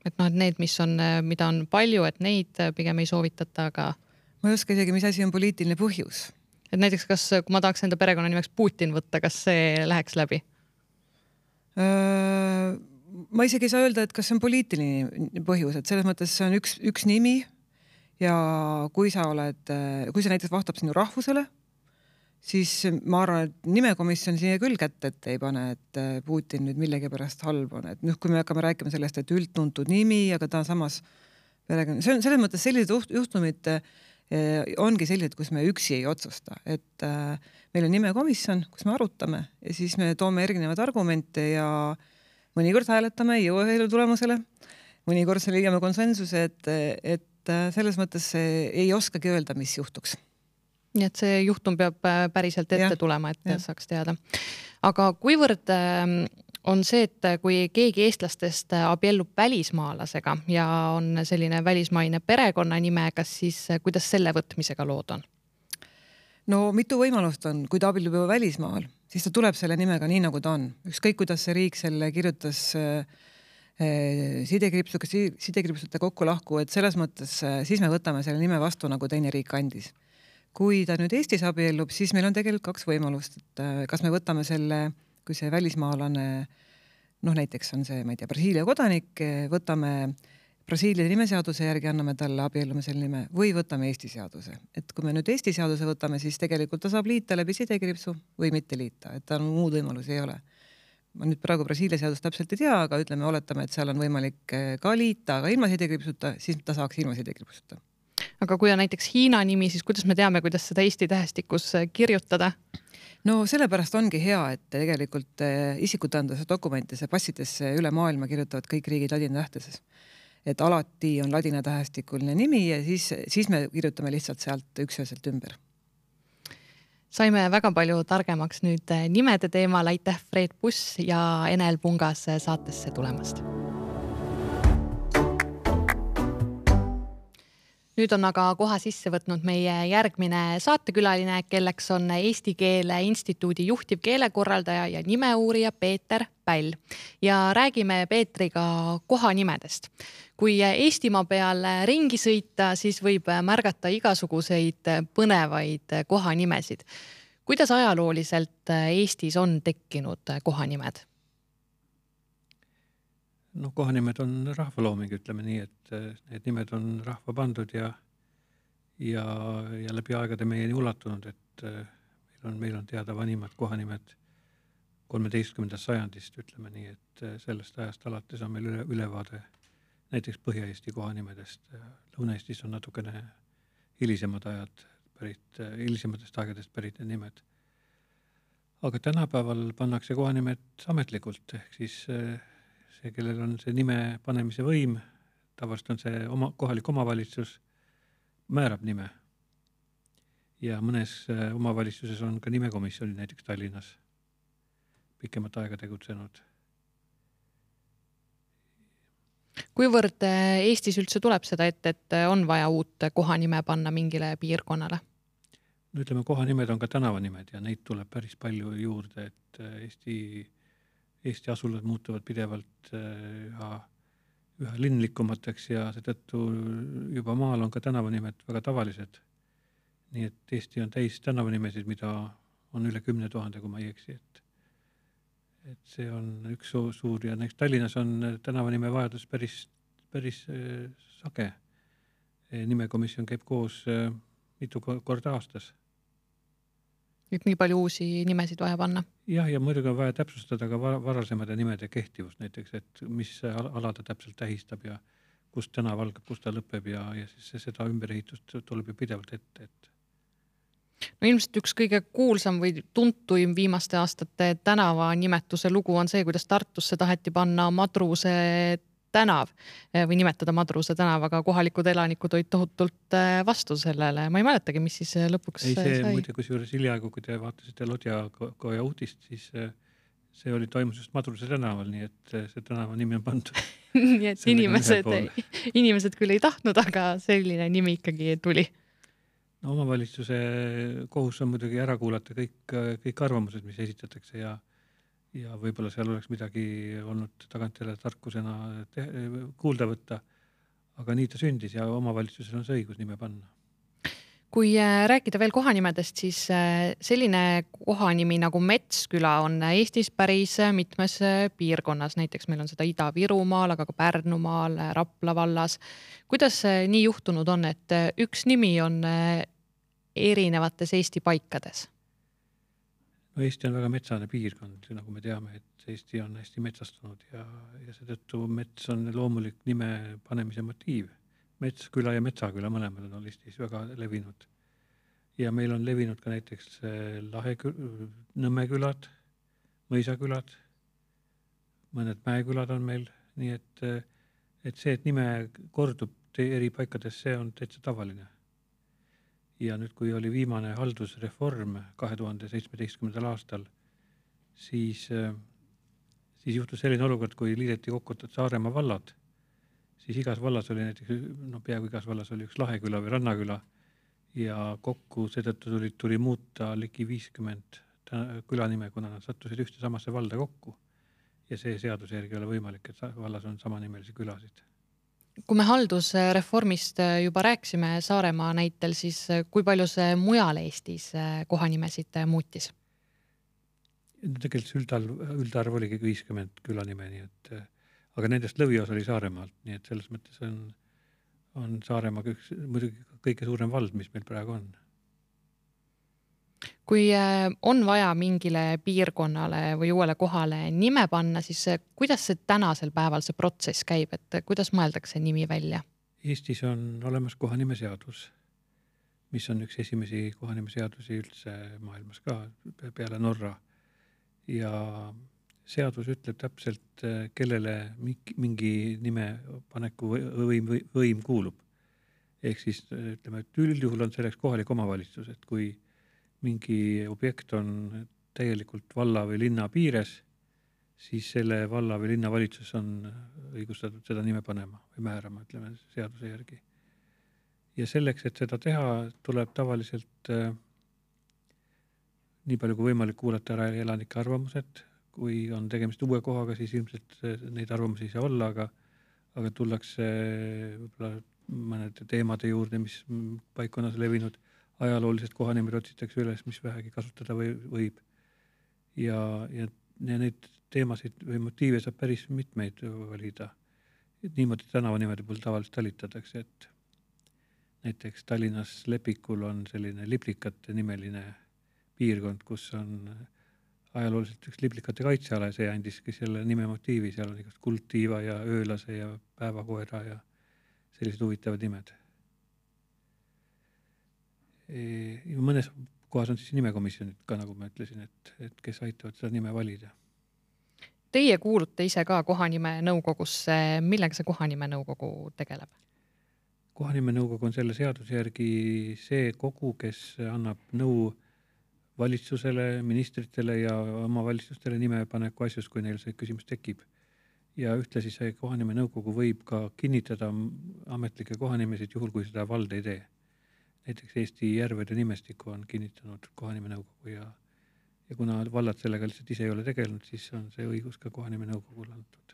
Et noh, et need, mis on, mida on palju, et neid pigem ei soovitata, aga... Ma ei oska isegi, mis asi on poliitiline põhjus. Et näiteks, kas, kui ma tahaks enda perekonna nimeks Putin võtta, kas see läheks läbi? Ma isegi ei saa öelda, et kas see on poliitiline põhjus, et selles mõttes see on üks, üks nimi ja kui sa oled, kui sa näiteks vastab sinu rahvusele, siis ma arvan, et nimekomisjon siia küll kätte, et ei pane, et Putin nüüd millegi pärast halb on. Et nüüd, kui me hakkame rääkima sellest, et üldtuntud nimi, aga ta on samas perekonna, see on selles mõttes sellised juhtumid ongi sellised, kus me üksi ei otsusta, et äh, meil on nimekomisjon, kus me arutame ja siis me toome erinevad argumente ja mõnikord hääletame, ei jõua ühele tulemusele, mõnikord see leiame konsensuse, et, et selles mõttes ei oskagi öelda, mis juhtuks. Nii et see juhtum peab päriselt ette ja, tulema, et ja. Saaks teada. Aga kuivõrd on see, et kui keegi eestlastest abiellub välismaalasega ja on selline välismaine perekonnanime, kas siis, kuidas selle võtmisega lood on? No mitu võimalust on, kui ta abiellub juba välismaal, siis ta tuleb selle nimega nii, nagu ta on. Ükskõik, kuidas see riik selle kirjutas sidekriipsuga, sidekriipsute kokku lahku, et selles mõttes siis me võtame selle nime vastu, nagu teine riik andis. Kui ta nüüd Eestis abiellub, siis meil on tegelikult kaks võimalust, et kas me võtame selle, kui see välismaalane, noh näiteks on see, ma ei tea, Brasiilia kodanik, võtame Brasiilia nimeseaduse järgi, anname talle abiellumisel nime või võtame Eesti seaduse. Et kui me nüüd Eesti seaduse võtame, siis tegelikult ta saab liita läbi sidekriipsu või mitte liita, et ta on muud võimalusi ei ole. Ma nüüd praegu Brasiilia seadust täpselt ei tea, aga ütleme, oletame, et seal on võimalik ka liita, aga ilma sidekriipsuta, siis ta saaks ilma sidekriipsuta. Aga kui on näiteks Hiina nimi, siis kuidas me teame, kuidas seda Eesti tähestikus kirjutada? No sellepärast ongi hea, et tegelikult isikutõenduse dokumentisse, passidesse üle maailma kirjutavad kõik riigid ladina tähteses. Et alati on ladina tähestikuline nimi ja siis, siis me kirjutame lihtsalt sealt ükshäselt ümber. Saime väga palju targemaks nüüd nimede teemal. Aitäh Fred Buss ja Enel Pungas saatesse tulemast. Nüüd on aga koha sisse võtnud meie järgmine saatekülaline, kelleks on Eesti Keele Instituudi juhtiv keelekorraldaja ja nimeuurija Peeter Päll. Ja räägime Peetriga kohanimedest. Kui Eestimaa peal ringi sõita, siis võib märgata igasuguseid põnevaid kohanimesid. Kuidas ajalooliselt Eestis on tekkinud kohanimed? No kohanimed on rahvalooming, ütleme nii, et need nimed on rahva pandud ja, ja, ja läbi aegade meieni ulatunud, et meil on, meil on teada vanimad kohanimed kolmeteistkümnendast sajandist, ütleme nii, et sellest ajast alates on meil üle, ülevaade näiteks Põhja-Eesti kohanimedest. Lõuna-Eestis on natukene hilisemad ajad pärit, hilisematest aegadest pärit need nimed. Aga tänapäeval pannakse kohanimed ametlikult, ehk siis see, kellel on see nime panemise võim, tavaliselt on see oma, kohalik omavalitsus, määrab nime. Ja mõnes omavalitsuses on ka nimekomisjoni, näiteks Tallinnas, pikemat aega tegutsenud. Kuivõrd Eestis üldse tuleb seda ette, et on vaja uut kohanime panna mingile piirkonnale? No ütleme, kohanimed on ka tänavanimed ja neid tuleb päris palju juurde, et Eesti, Eesti asulad muutuvad pidevalt üha, üha linnlikumateks ja seetõttu juba maal on ka tänavanimed väga tavalised. Nii et Eesti on täis tänavanimesid, mida on üle kümne tuhande, kui ma ei eksi, et et see on üks suur ja näiteks Tallinnas on tänavanime vajadus päris, päris sage. Nimekomisjon käib koos mitu korda aastas. Nüüd nii palju uusi nimesid vaja panna? Jah, ja muidugi on vaja täpsustada ka varasemade nimede kehtivust näiteks, et mis ala ta täpselt tähistab ja kust tänav algab, kust ta lõpeb ja, ja siis seda ümberehitust tuleb ju pidevalt ette, et no ilmselt üks kõige kuulsam või tuntuim viimaste aastate tänava nimetuse lugu on see, kuidas Tartusse taheti panna Madruse tänav või nimetada Madruse tänav, aga kohalikud elanikud olid tohutult vastu sellele. Ma ei mäletagi, mis siis lõpuks ei, see sai. Muide, kus juures hiljaaegu, kui te vaatasite Lodjakoja uudist, siis see oli toimus just Madruse tänaval, nii et see tänava nimi on pandud. Nii et inimesed, inimesed küll ei tahtnud, aga selline nimi ikkagi tuli. No, omavalitsuse kohus on muidugi ära kuulata kõik, kõik arvamused, mis esitatakse ja, ja võib-olla seal oleks midagi olnud tagantjärele tarkusena te, kuulda võtta, aga nii ta sündis ja omavalitsusel on see õigus nime panna. Kui rääkida veel kohanimedest, siis selline kohanimi nagu Metsküla on Eestis päris mitmes piirkonnas. Näiteks meil on seda Ida-Virumaal, aga ka Pärnumaal, Rapla vallas. Kuidas nii juhtunud on, et üks nimi on erinevates Eesti paikades? No Eesti on väga metsane piirkond, nagu me teame, et Eesti on hästi metsastunud ja, ja seetõttu mets on loomulik nime panemise motiiv. Metsküla ja Metsaküla mõlemad on Eestis väga levinud. Ja meil on levinud ka näiteks Lahe Nõmmekülad, Mõisakülad, mõned Mäekülad on meil, nii et, et see, et nime kordub eri paikades, see on täitsa tavaline. Ja nüüd, kui oli viimane haldusreform kahe tuhande seitsmeteistkümnendal aastal, siis, siis juhtus selline olukord, kui liideti kokku Saaremaa vallad, siis igas vallas oli näiteks, no peaaegu igas vallas oli üks Laheküla või Rannaküla ja kokku seetõttu tuli, tuli muuta ligi viiskümmend külanime, kuna nad sattusid ühte samasse valda kokku. Ja see seaduse järgi ei ole võimalik, et vallas on samanimelisi külasid. Kui me haldusreformist juba rääksime Saaremaa näitel, siis kui palju see mujal Eestis kohanimesid muutis? Tegelikult üldarv, üldarv oligi viiskümmend külanime, nii et aga nendest lõvios oli Saaremaalt, nii et selles mõttes on, on Saaremaa üks, muidugi kõige suurem vald, mis meil praegu on. Kui on vaja mingile piirkonnale või uuele kohale nime panna, siis kuidas see tänasel päeval see protsess käib, et kuidas mõeldakse nimi välja? Eestis on olemas kohanimeseadus, mis on üks esimesi kohanimeseadusi üldse maailmas ka peale Norra ja seadus ütleb täpselt, kellele mingi nime paneku võim, võim kuulub. Ehk siis ütleme, et üldjuhul on selleks kohalik omavalitsus, et kui mingi objekt on täielikult valla või linna piires, siis selle valla või linna valitsus on õigustatud seda nime panema või määrama, ütleme, seaduse järgi. Ja selleks, et seda teha, tuleb tavaliselt äh, nii palju kui võimalik kuulata ära elanike arvamused. Kui on tegemist uue kohaga, siis ilmselt neid arvamusi ei saa olla, aga, aga tullakse võib-olla mõnede teemade juurde, mis paikkonnas levinud, ajaloolised kohanimed otsitakse üles, mis vähegi kasutada või, võib. Ja, ja, ja neid teemasid või motiive saab päris mitmeid valida. Et niimoodi tänavanimede puhul tavaliselt talitatakse, et näiteks Tallinnas Lepikul on selline Liplikate nimeline piirkond, kus on ajalooliselt üks liblikate kaitseala ja see andiski selle nime motiivi, seal on igast kuldtiiva ja öölase ja päevakoera ja sellised huvitavad nimed. Ja mõnes kohas on siis nimekomisjonid ka, nagu ma ütlesin, et, et kes aitavad seda nime valida. Teie kuulute ise ka kohanime nõukogusse. Millega see kohanime nõukogu tegeleb? Kohanime nõukogu on selle seaduse järgi see kogu, kes annab nõu valitsusele, ministritele ja omavalitsustele nimepaneku asjus, kui neil see küsimus tekib. Ja ühtlasi see kohanime nõukogu võib ka kinnitada ametlikke kohanimesid juhul, kui seda vald ei tee. Näiteks Eesti järvede nimestiku on kinnitanud kohanime nõukogu ja Ja kuna vallad sellega lihtsalt ise ei ole tegelenud, siis on see õigus ka kohanime nõukogule antud.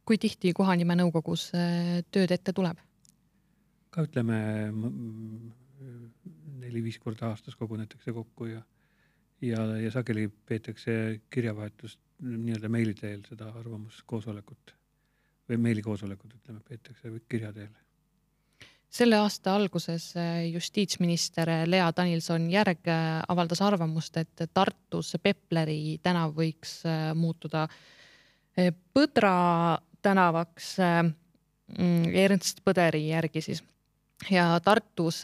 Kui tihti kohanime nõukogus tööd ette tuleb? Ka ütleme neli-viis korda aastas kogunetakse kokku ja, ja, ja sageli peetakse kirjavahetust nii-öelda meili teel seda arvamuskoosolekut või meilikoosolekut, ütleme, peetakse kirja teel. Selle aasta alguses justiitsminister Lea Danilson-Järg avaldas arvamust, et Tartus Pepleri tänav võiks muutuda Põdra tänavaks Ernst Põderi järgi siis. Ja Tartus,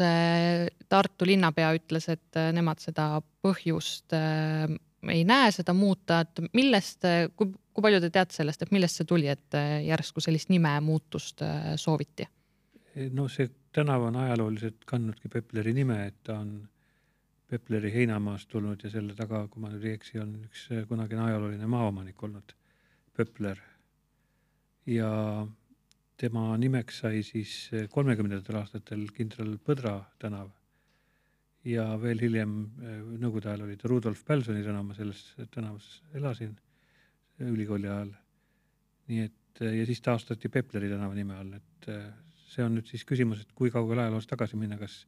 Tartu linnapea ütles, et nemad seda põhjust ei näe seda muuta, et millest, kui, kui palju te teate sellest, et millest see tuli, et järsku sellist nime muutust sooviti? No see tänav on ajalooliselt kandnudki Pepleri nime, et ta on Pepleri heinamaast tulnud ja selle taga, kui ma nüüd ei eksi, on üks kunagine ajalooline maaomanik olnud, Pepler. Ja tema nimeks sai siis kolmekümnendatel aastatel kindral Põdra tänav ja veel hiljem nõukogude ajal oli ta Rudolf Pälsoni tänav, ma selles tänavas elasin ülikooli ajal. Nii et, ja siis taastati Pepleri tänava nime all, et see on nüüd siis küsimus, et kui kaugel ajaloos tagasi minna, kas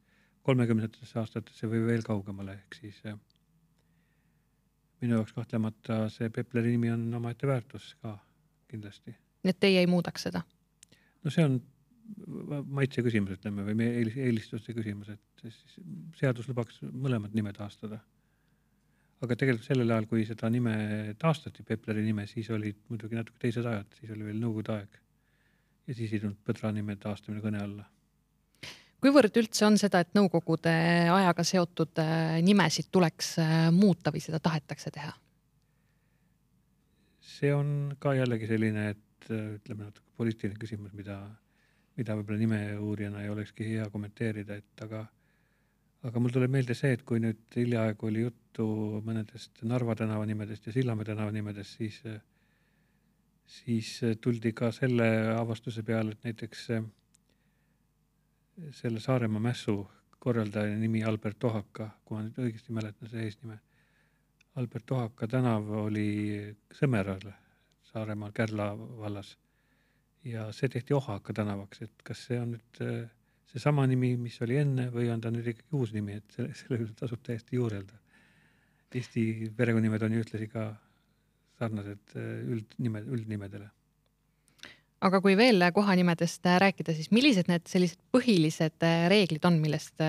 kolmekümnendatesse aastatesse või veel kaugemale, ehk siis minu jaoks kahtlemata see Pepleri nimi on omaette väärtus ka kindlasti. Nii et teie ei muudaks seda? No see on maitse küsimus, ütleme, või eelistuste küsimus, et seadus lubaks mõlemad nime taastada. Aga tegelikult sellel ajal, kui seda nime taastati, Pepleri nime, siis olid muidugi natuke teised ajad, siis oli veel nõukogude aeg. Ja siis ei tulnud Põdra nime taastamine kõne alla. Kuivõrd üldse on seda, et nõukogude ajaga seotud nimesid tuleks muuta või seda tahetakse teha? See on ka jällegi selline, et ütleme natuke poliitiline küsimus, mida, mida võib-olla nime uurijana ei olekski hea kommenteerida, et aga, aga mul tuleb meelde see, et kui nüüd hiljaaegu oli juttu mõnedest Narva tänava nimedest ja Sillamäe tänava nimedest, siis siis tuldi ka selle avastuse peale, et näiteks selle Saaremaa mässu korraldaja nimi Albert Tohaka, kui ma nüüd õigesti mäletan see eesnime. Albert Tohaka tänav oli Sõmeral, Saaremaal Kärla vallas ja see tehti Ohaka tänavaks, et kas see on nüüd see sama nimi, mis oli enne või on ta nüüd ikkagi uus nimi, et selle üle tasub täiesti juurelda. Eesti perekonninimed on ju ühtlasi ka sarnased üldnimed, üldnimedele. Aga kui veel kohanimedest rääkida, siis millised need sellised põhilised reeglid on, millest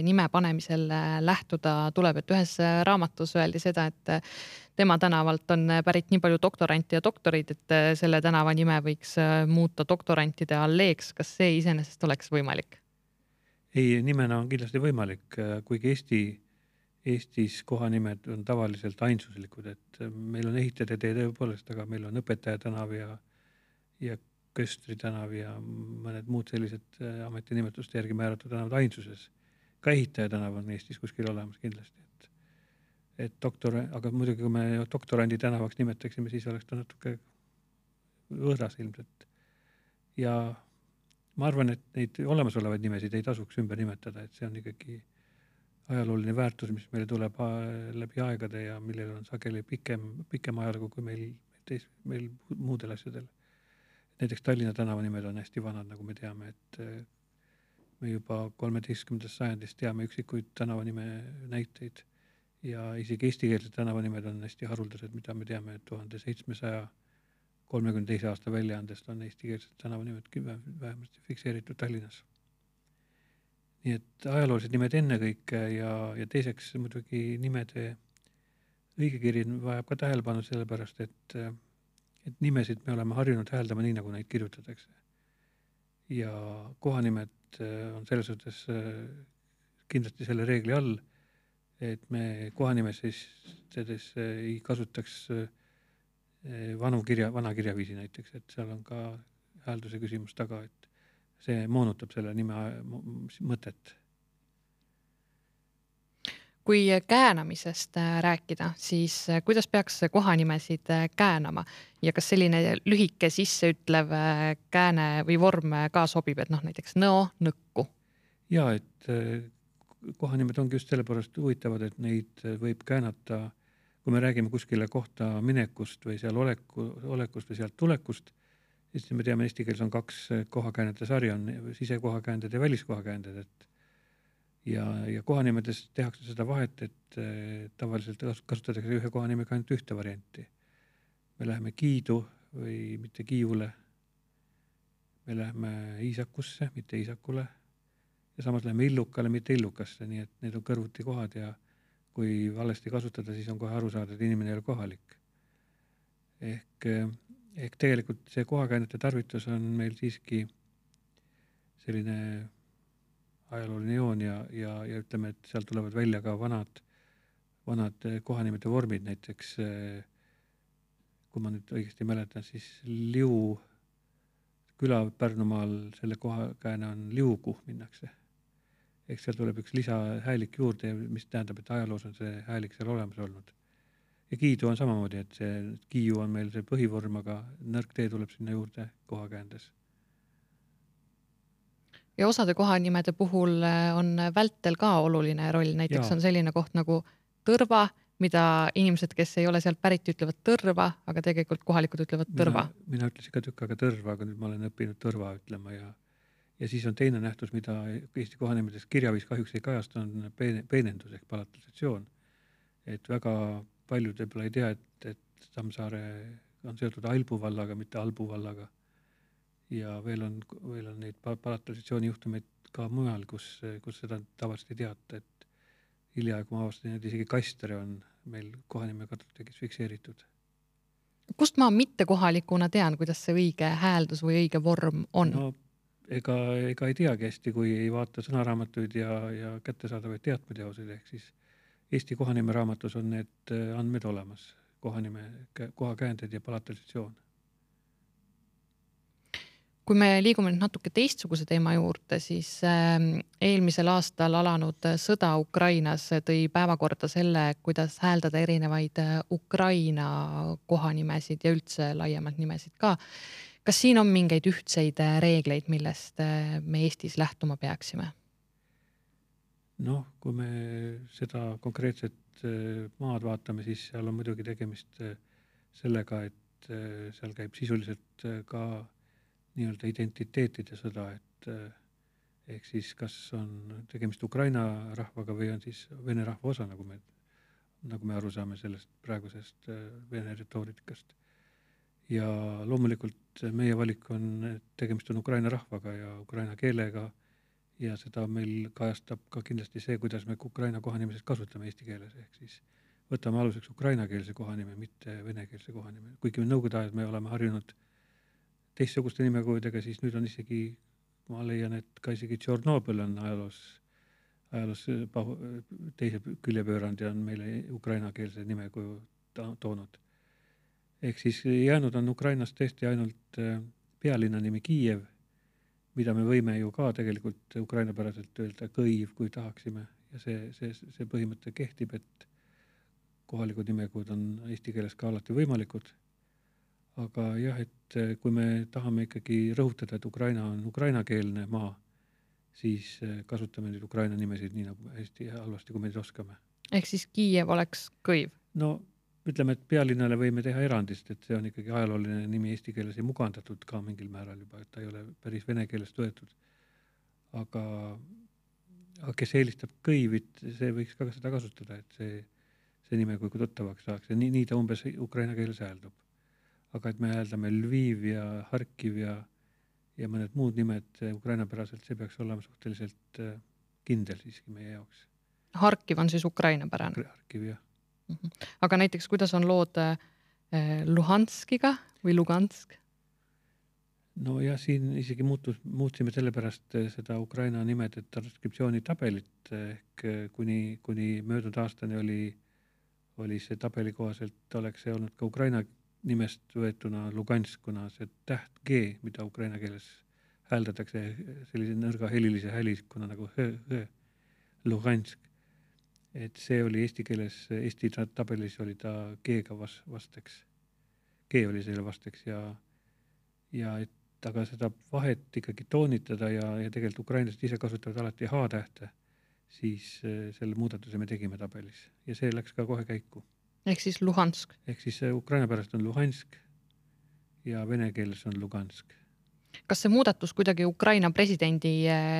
nime panemisel lähtuda tuleb, et ühes raamatus öeldi seda, et tema tänavalt on pärit nii palju doktoranti ja doktorid, et selle tänava nime võiks muuta doktorantide alleeks. Kas see iseenesest oleks võimalik? Ei, nimena on kindlasti võimalik, kuigi Eesti Eestis kohanimed on tavaliselt ainsuslikud, et meil on ehitajate tee tõepoolest, aga meil on õpetaja tänav ja, ja Köstri tänav ja mõned muud sellised ametinimetuste järgi määratud tänavad ainsuses. Ka ehitaja tänav on Eestis kuskil olemas kindlasti. Et, et doktor, aga muidugi, kui me doktorandi tänavaks nimetaksime, siis oleks ta natuke võõras ilmselt. Ja ma arvan, et neid olemasolevaid nimesid ei tasuks ümber nimetada, et see on ikkagi ajalooline väärtus, mis meile tuleb läbi aegade ja millel on sageli pikem, pikem ajalugu kui meil, teis, meil muudel asjadel. Näiteks Tallinna tänava nimed on hästi vanad, nagu me teame, et me juba kolmeteistkümnendast sajandist teame üksikuid tänavanime näiteid ja isegi eestikeelsed tänavanimed on hästi haruldased, mida me teame, et tuhande seitsmesaja kolmekümne teise aasta väljaandest on eestikeelsed tänavanimed vähemasti fikseeritud Tallinnas. Nii et ajaloolised nimed enne kõike ja, ja teiseks muidugi nimede õigekiri vajab ka tähelepanu sellepärast, et, et nimesid me oleme harjunud hääldama nii, nagu neid kirjutatakse. Ja kohanimed on selles suhtes kindlasti selle reegli all, et me kohanimeses ei kasutaks vanu kirja, vana kirjaviisi näiteks, et seal on ka häälduse küsimus taga, et see moonutab selle nime mõtet. Kui käänamisest rääkida, siis kuidas peaks kohanimesid käänama ja kas selline lühike sisseütlev kääne või vorm ka sobib, et noh, näiteks nõo, nõkku? Ja, et kohanimed ongi just sellepärast huvitavad, et neid võib käänata, kui me räägime kuskile kohta minekust või seal oleku, olekust või sealt tulekust, siis me teame, eesti keeles on kaks kohakäänete sarja, on sisekohakäänded ja väliskohakäänded, et ja, ja kohanimedes tehakse seda vahet, et tavaliselt kasutatakse ühe kohanimega ainult ühte varianti. Me läheme Kiidu või mitte Kiivule, me läheme Iisakusse, mitte Iisakule ja samas läheme Illukale, mitte Illukasse, nii et need on kõrvuti kohad ja kui valesti kasutada, siis on kohe aru saada, et inimene ei ole kohalik. Ehk, ehk tegelikult see kohakäänete tarvitus on meil siiski selline ajalooline joon ja, ja, ja ütleme, et seal tulevad välja ka vanad, vanad kohanimete vormid, näiteks kui ma nüüd õigesti mäletan, siis Liu küla Pärnumaal, selle kohakääne on Liugu minnakse. Ehk seal tuleb üks lisahäälik juurde, mis tähendab, et ajaloos on see häälik seal olemas olnud. Ja Kiidu on samamoodi, et see Kiiu on meil see põhivorm, aga nõrk tee tuleb sinna juurde kohakäändes. Ja osade kohanimede puhul on vältel ka oluline roll, näiteks ja. On selline koht nagu Tõrva, mida inimesed, kes ei ole sealt pärit, ütlevad Tõrva, aga tegelikult kohalikud ütlevad Tõrva. Mina, mina ütlesin ka tükk aega Tõrva, aga nüüd ma olen õppinud Tõrva ütlema ja, ja siis on teine nähtus, mida Eesti kohanimedest kirjaviis kahjuks ei kajast, on peenendus ehk palatalisatsioon. Et väga paljud võib-olla ei tea, et, et Tammsaare on seotud Ailbu vallaga, mitte Albu vallaga. Ja veel on, veel on neid palatalisatsiooni juhtumeid ka mujal, kus, kus seda tavaliselt ei teata, et hiljaaegu ma avastasin, et isegi Kastere on meil kohanime katutegis fikseeritud. Kust ma mitte kohalikuna tean, kuidas see õige hääldus või õige vorm on? No, ega, ega ei teagi hästi, kui ei vaata sõnaraamatuid ja, ja kättesaadavaid teatmeteoseid, ehk siis Eesti kohanime raamatus on need andmed olemas, kohanime, kohakäänded ja palatalisatsioon. Kui me liigume nüüd natuke teistsuguse teema juurde, siis eelmisel aastal alanud sõda Ukrainas tõi päevakorda selle, kuidas hääldada erinevaid Ukraina kohanimesid ja üldse laiemalt nimesid ka. Kas siin on mingeid ühtseid reegleid, millest me Eestis lähtuma peaksime? Noh, kui me seda konkreetset maad vaatame, siis seal on muidugi tegemist sellega, et seal käib sisuliselt ka nii-öelda identiteetide sõda, et ehk siis kas on tegemist Ukraina rahvaga või on siis vene rahva osa, nagu me, nagu me aru saame sellest praegusest vene retoorikast. Ja loomulikult meie valik on, et tegemist on Ukraina rahvaga ja Ukraina keelega ja seda meil kajastab ka kindlasti see, kuidas me Ukraina kohanimeses kasutame eesti keeles, ehk siis võtame aluseks ukrainakeelse kohanime, mitte venekeelse kohanime. Kuigi nõukogude ajal me oleme harjunud teistsuguste nimekujudega, siis nüüd on isegi, ma leian, et ka isegi Tšornobõl on ajaloos, ajaloos teise küljepöörand ja on meile ukrainakeelse nimekuju toonud. Ehk siis jäänud on Ukrainas tõesti ainult pealinna nimi Kiiev, mida me võime ju ka tegelikult ukrainapäraselt öelda Kõiv, kui tahaksime. Ja see, see, see põhimõte kehtib, et kohalikud nimekujud on eesti keeles ka alati võimalikud. Aga jah, et kui me tahame ikkagi rõhutada, et Ukraina on ukrainakeelne maa, siis kasutame nüüd Ukraina nimesid nii nagu hästi halvasti, kui me neid oskame. Ehk siis Kiiev oleks Kõiv? No ütleme, et pealinnale võime teha erandist, et see on ikkagi ajalooline nimi eesti keeles ja mugandatud ka mingil määral juba, et ta ei ole päris vene keelest võetud. Aga, aga kes eelistab Kõivit, see võiks ka seda kasutada, et see, see nime kui tuttavaks saaks ja nii, nii ta umbes ukraina keeles hääldub. Aga et me hääldame Lviv ja Harkiv ja, ja mõned muud nimed Ukraina päraselt, see peaks olema suhteliselt kindel siiski meie jaoks. Harkiv on siis Ukraina pärane? Harkiv, jah. Aga näiteks, kuidas on lood Luhanskiga või Lugansk? No ja siin isegi muutus, muutsime sellepärast seda Ukraina nimede transkriptsiooni tabelit, ehk kuni, kuni möödunud aastani oli, oli see tabeli kohaselt, oleks see olnud ka Ukraina nimest võetuna Lugansk, kuna see täht G, mida ukraina keeles hääldatakse sellise nõrga helilise häliskuna nagu H, H, Lugansk. Et see oli eesti keeles, eesti tabelis oli ta G-ga vasteks. G oli selle vasteks ja, ja et aga seda vahet ikkagi toonitada ja, ja tegelikult ukrainlased ise kasutavad alati H-tähte, siis selle muudatuse me tegime tabelis ja see läks ka kohe käiku. Ehk siis Luhansk. Ehk siis Ukraina pärast on Luhansk ja vene keeles on Lugansk. Kas see muudatus kuidagi Ukraina presidendi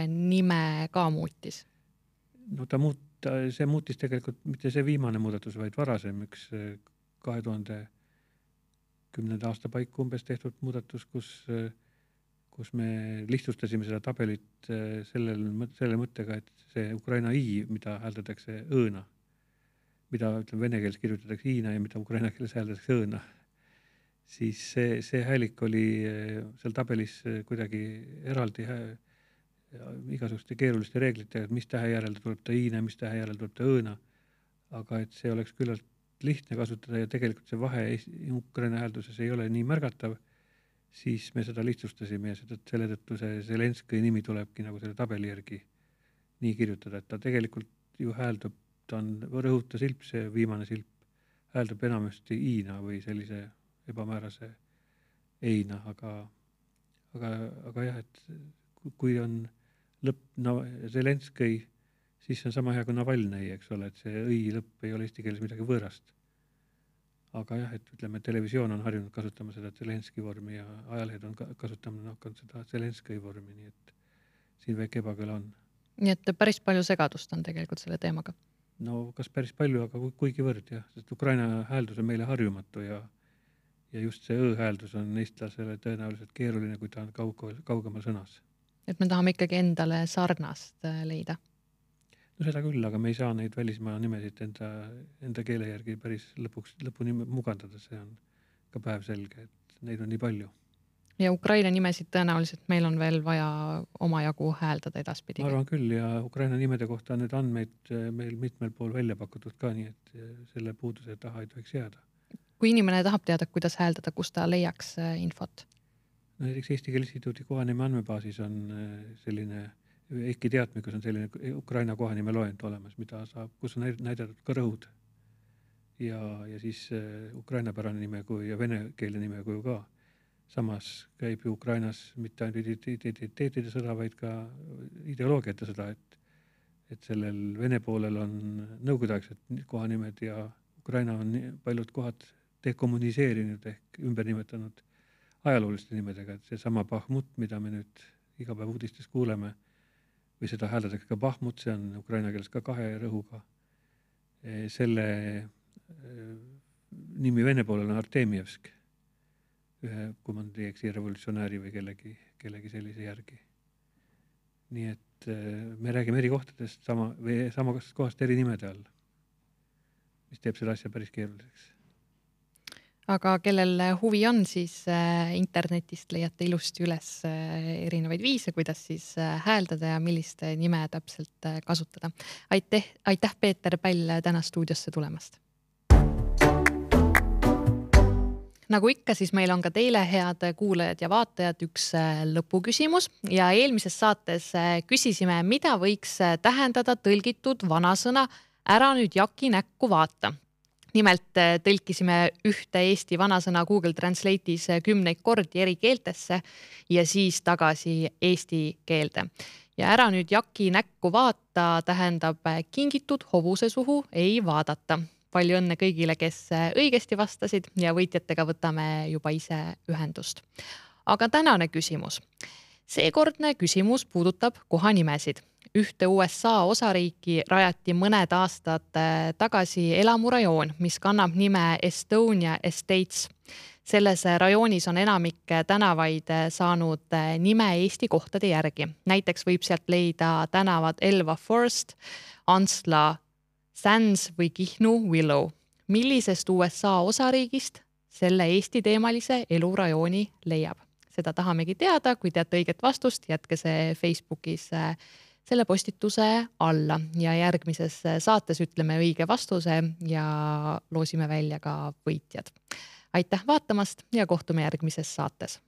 nime ka muutis? No ta muut, see muutis tegelikult mitte see viimane muudatus, vaid varasem üks kahe tuhande kümnenda aasta paiku umbes tehtud muudatus, kus, kus me lihtsustasime seda tabelit sellel, selle mõttega, et see Ukraina I, mida hääldatakse õõna, mida ütleme, vene keeles kirjutatakse iina ja mida ukraina keeles hääldatakse õõna, siis see, see häälik oli seal tabelis kuidagi eraldi hää, igasuguste keeruliste reeglitega, et mis tähe järel tuleb ta iina, mis tähe järel tuleb ta õõna, aga et see oleks küllalt lihtne kasutada ja tegelikult see vahe Ukraina häälduses ei ole nii märgatav, siis me seda lihtsustasime ja seda, selle tõttu see Zelenski nimi tulebki nagu selle tabeli järgi nii kirjutada, et ta tegelikult ju hääldub, ta on rõhuta silp, see viimane silp hääldub enamasti iina või sellise ebamäärase eina, aga, aga, aga jah, et kui on lõpp no, Zelenski, siis see on sama hea kui Navalnõi, eks ole, et see õi lõpp ei ole eesti keeles midagi võõrast. Aga jah, et ütleme, televisioon on harjunud kasutama seda Zelenski vormi ja ajalehed on kasutama hakanud seda Zelenski vormi, nii et siin väike ebakõla on. Nii et päris palju segadust on tegelikult selle teemaga. No kas päris palju, aga kuigi võrd, jah, sest Ukraina hääldus on meile harjumatu ja, ja just see õ-hääldus on eestlasele tõenäoliselt keeruline, kui ta on kaug, kaugemal sõnas. Et me tahame ikkagi endale sarnast leida. No seda küll, aga me ei saa neid välismaa nimesid enda, enda keele järgi päris lõpuks, lõpuni mugandada, see on ka päev selge, et neid on nii palju. Ja Ukraina nimesid tõenäoliselt meil on veel vaja omajagu hääldada edaspidi. Ma arvan küll ja Ukraina nimede kohta on need andmeid meil mitmel pool välja pakutud ka, nii et selle puuduse taha ei tohiks jääda. Kui inimene tahab teada, kuidas hääldada, kus ta leiaks infot? No, näiteks Eesti Keele Instituudi kohanime andmebaasis on selline, ehkki teadmikus on selline Ukraina kohanime loend olemas, mida saab, kus on näidatud ka rõhud. Ja, ja siis Ukraina pärane nime kui ja vene keele nime kui ka. Samas käib ju Ukrainas mitte ainult identiteetide sõda, vaid ka ideoloogiate sõda, et, et sellel vene poolel on nõukogudeaegsed kohanimed ja Ukraina on paljud kohad dekommuniseerinud ehk ümber nimetanud ajalooliste nimedega, et see sama Bahmut, mida me nüüd iga päev uudistes kuuleme, või seda hääldatakse ka Bahmut, see on ukraina keeles ka kahe rõhuga. Selle nimi vene poolel on Artemievsk, ühe komandeeksi revolutsionääri või kellegi, kellegi sellise järgi. Nii et me räägime eri kohtadest sama, või sama kohast eri nimede all, mis teeb seda asja päris keeruliseks. Aga kellel huvi on, siis internetist leiate ilusti üles erinevaid viise, kuidas siis hääldada ja millist nime täpselt kasutada. Aitäh, aitäh Peeter Päll täna stuudiosse tulemast. Nagu ikka, siis meil on ka teile head kuulajad ja vaatajad üks lõpuküsimus ja eelmises saates küsisime, mida võiks tähendada tõlgitud vanasõna ära nüüd Jaki näkku vaata. Nimelt tõlkisime ühte Eesti vanasõna Google Translate'is kümneid kordi eri keeltesse ja siis tagasi eesti keelde. Ja ära nüüd Jaki näkku vaata tähendab kingitud hobuse suhu ei vaadata. Palju õnne kõigile, kes õigesti vastasid ja võitjatega võtame juba ise ühendust. Aga tänane küsimus. Seekordne küsimus puudutab kohanimesid. Ühte U S A osariiki rajati mõned aastad tagasi elamurajoon, mis kannab nime Estonia Estates. Selles rajoonis on enamik tänavaid saanud nime Eesti kohtade järgi. Näiteks võib sealt leida tänavad Elva Forest, Ansla Sands või Kihnu Willow. millisest U S A osariigist selle Eesti teemalise elurajooni leiab. Seda tahamegi teada, kui teate õiget vastust, jätke see Facebookis selle postituse alla ja järgmises saates ütleme õige vastuse ja loosime välja ka võitjad. Aitäh vaatamast ja kohtume järgmises saates.